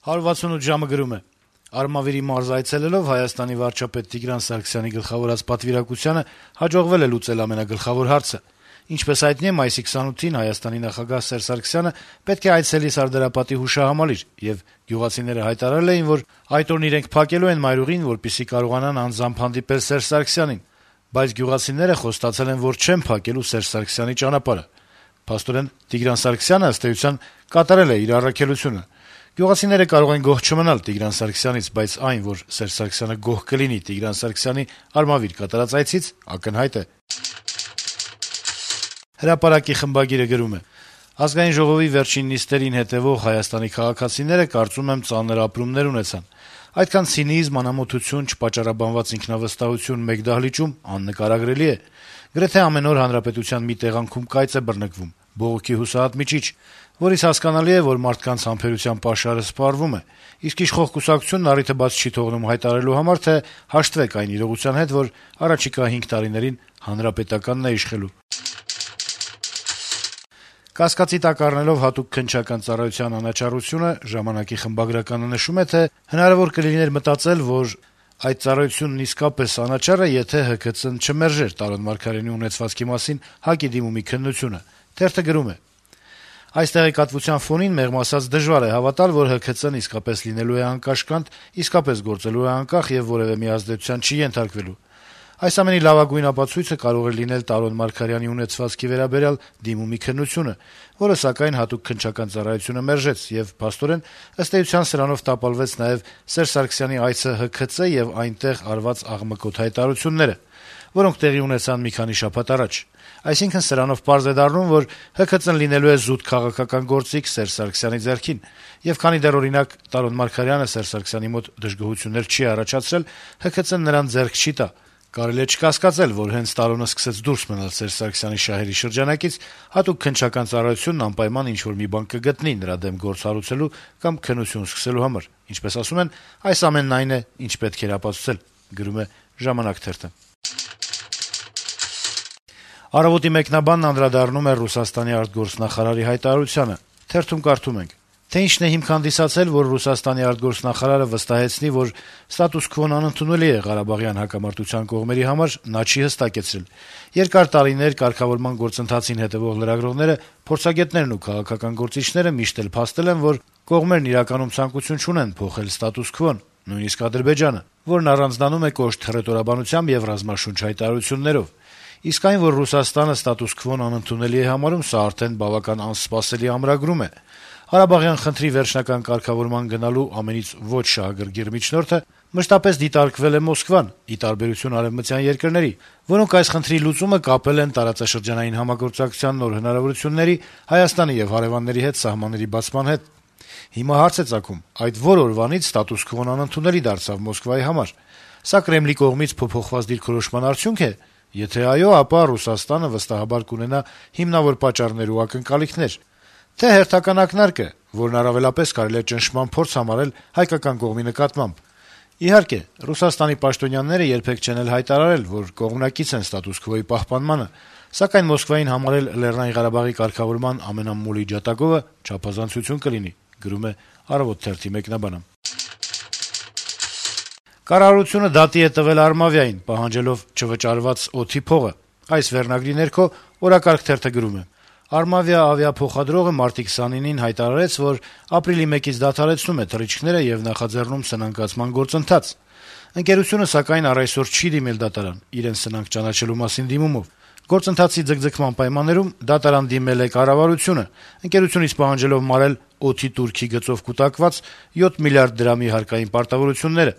168 ժամը գրում է. - Արմավիրի մարզ այցելելով Հայաստանի վարչապետ Տիգրան Սարգսյանի գլխավորած պատվիրակությանը հաջողվել է լուծել ամենագլխավոր հարցը: Ինչպես հայտնի է, մայիսի 28-ին Հայաստանի նախագահ Սերժ Սարգսյանը պետք է այցելի Սարդարապատի հուշահամալիր, եւ գյուղացիները հայտարարել էին, որ այդ օրն իրենք փակելու են մայրուղին, որպեսզի կարողանան անձամբ հանդիպել Սերժ Սարգսյանին: Բայց գյուղացիները խոստացել են, որ չեն փակելու Սերժ Սարգսյանի ճանապարհը: Փաստորեն Տիգրան Սարգսյանը, ըստ էության, կատարել է իր առաքելությունը: Գյուղացիները կարող են գոհ չմնալ Տիգրան Սարգսյանից, բայց այն, որ Սերժ Սարգսյանը գոհ կլինի Տիգրան Սարգսյանի Արմավիր կատարած այցից, ակնհայտ է: Հրապարակի խմբագիրը գրում է. - Ազգային ժողովի վերջին նիստերին հետեւող Հայաստանի քաղաքացիները, կարծում եմ, ծանր ապրումներ ունեցան: Այդքան ցինիզմ, անամոթություն, չպատճառաբանված ինքնավստահություն մեկ դահլիճում աննկարագրելի է: Գրեթե ամեն օր հանրապետության մի տեղանքում կայծ է բռնկվում, բողոքի հուսահատ միջիչ, որից հասկանալի է, որ մարդկանց համբերության պաշարը սպառվում է: Իսկ իշխող կուսակցությունն առիթը բաց չի թողնում հայտարարելու համար, թե հաշտվեք այն իրողության հետ, որ առաջիկա 5 տարիներին Հանրապետականն է իշխելու: Կասկածի տակ առնելով հատուկ քննչական ծառայության անաչառությունը, «Ժամանակ»-ի խմբագրականը նշում է, թե հնարավոր կլիներ մտածել, որ այդ ծառայությունն իսկապես անաչառ է, եթե ՀՔԾ-ն չմերժեր Տարոն Մարգարյանի ունեցվածքի մասին ՀԱԿ-ի դիմումի քննությունը: Թերթը գրում է. - Այս տեղեկատվության ֆոնին, մեղմ ասած, դժվար է հավատալ, որ ՀՔԾ-ն իսկապես լինելու է անկաշկանդ, իսկապես գործելու է անկախ եւ որեւէ միազդեցության չի ենթարկվելու: Այս ամենի լավագույն ապացույցը կարող էր լինել Տարոն Մարգարյանի ունեցվածքի վերաբերյալ դիմումի քննությունը, որը, սակայն, հատուկ քննչական ծառայությունը մերժեց, եւ փաստորեն, ըստ էության, սրանով տապալվեց նաեւ Սերժ Սարգսյանի այցը ՀՔԾ եւ այնտեղ արված աղմկոտ հայտարարությունները, որոնք տեղի ունեցան մի քանի շաբաթ առաջ: Այսինքն, սրանով պարզ է դառնում, որ ՀՔԾ-ն լինելու է զուտ քաղաքական գործիք Սերժ Սարգսյանի ձեռքին, եւ քանի դեռ, օրինակ, Տարոն Մարգարյանը Սերժ Սարգսյանի մոտ դժգոհություններ չի առաջացրել, ՀՔԾ-ն նրան ձեռք չի տա: Կարելի է չկասկածել, որ հենց Տարոնը սկսեց դուրս մնալ Սերժ Սարգսյանի շահերի շրջանակից, հատուկ քննչական ծառայությունն անպայման ինչ-որ մի բան կգտնի նրա դեմ գործ հարուցելու կամ քննություն սկսելու համար: Ինչպես ասում են, այս ամենն այն է, ինչ պետք էր ապացուցել: «Առավոտ»-ի մեկնաբանն անդրադառնում է Ռուսաստանի արտգործնախարարի հայտարարությանը. - «Թե ինչն է հիմք հանդիսացել, որ Ռուսաստանի արտգործնախարարը վստահեցնի, որ ստատուս քվոն անընդունելի է Ղարաբաղյան հակամարտության կողմերի համար, նա չի հստակեցրել: Երկար տարիներ կարգավորման գործընթացին հետեւող լրագրողները, փորձագետներն ու քաղաքական գործիչները միշտ էլ փաստել են, որ կողմերն իրականում ցանկություն չունեն փոխել ստատուս քվոն, նույնիսկ Ադրբեջանը, որն առանձնանում է կոշտ հռետորաբանությամբ եւ ռազմաշունչ հայտարարություններով: Իսկ այն, որ Ռուսաստանը ստատուս քվոն անընդունելի է համարում, սա արդեն բավական անսպասելի ամրագրում է: Ղարաբաղյան խնդրի վերջնական կարգավորման գնալու ամենից ոչ շահագրգիռ միջնորդը մշտապես դիտարկվել է Մոսկվան, ի տարբերություն արեւմտյան երկրների, որոնք այս խնդրի լուծումը կապել են տարածաշրջանային համագործակցության նոր հնարավորությունների, Հայաստանի եւ հարեւանների հետ սահմանների բացման հետ: Հիմա հարց է ծագում. այդ որ օրվանից ստատուս քվոն անընդունելի դարձավ Մոսկվայի համար: Սա Կրեմլի կողմից փոփոխված դիրքորոշման արդյունք է: Եթե այո, ապա Ռուսաստանը վստահաբար կունենա հիմնավոր պատճառներ ու ակնկալիքներ: Թե հերթական ակնարկը, որն առավելապես կարելի է ճնշման փորձ համարել հայկական կողմի նկատմամբ: Իհարկե, Ռուսաստանի պաշտոնյաները երբեք չեն էլ հայտարարել, որ կողմնակից են ստատուս քվոյի պահպանմանը, սակայն Մոսկվային համարել Լեռնային Ղարաբաղի կարգավորման ամենամոլի ջատագովը չափազանցություն կլինի»: Կառավարությունը դատի է տվել Արմավիային` պահանջելով չվճարված օդի փողը: Այս վերնագրի ներքո «Օրակարգ» թերթը գրում է. - «Armavia ավիափոխադրողը մարտի 29-ին հայտարարեց, որ ապրիլի 1-ից դադարեցնում է թռիչքները եւ նախաձեռնում սնանկացման գործընթաց: Ընկերությունը, սակայն, առայսօր չի դիմել դատարան` իրեն սնանկ ճանաչելու մասին դիմումով: Գործընթացի ձգձգման պայմաններում դատարան դիմել է կառավարությունը` ընկերությունից պահանջելով մարել օդի տուրքի գծով կուտակված 7 միլիարդ դրամի հարկային պարտավորությունները: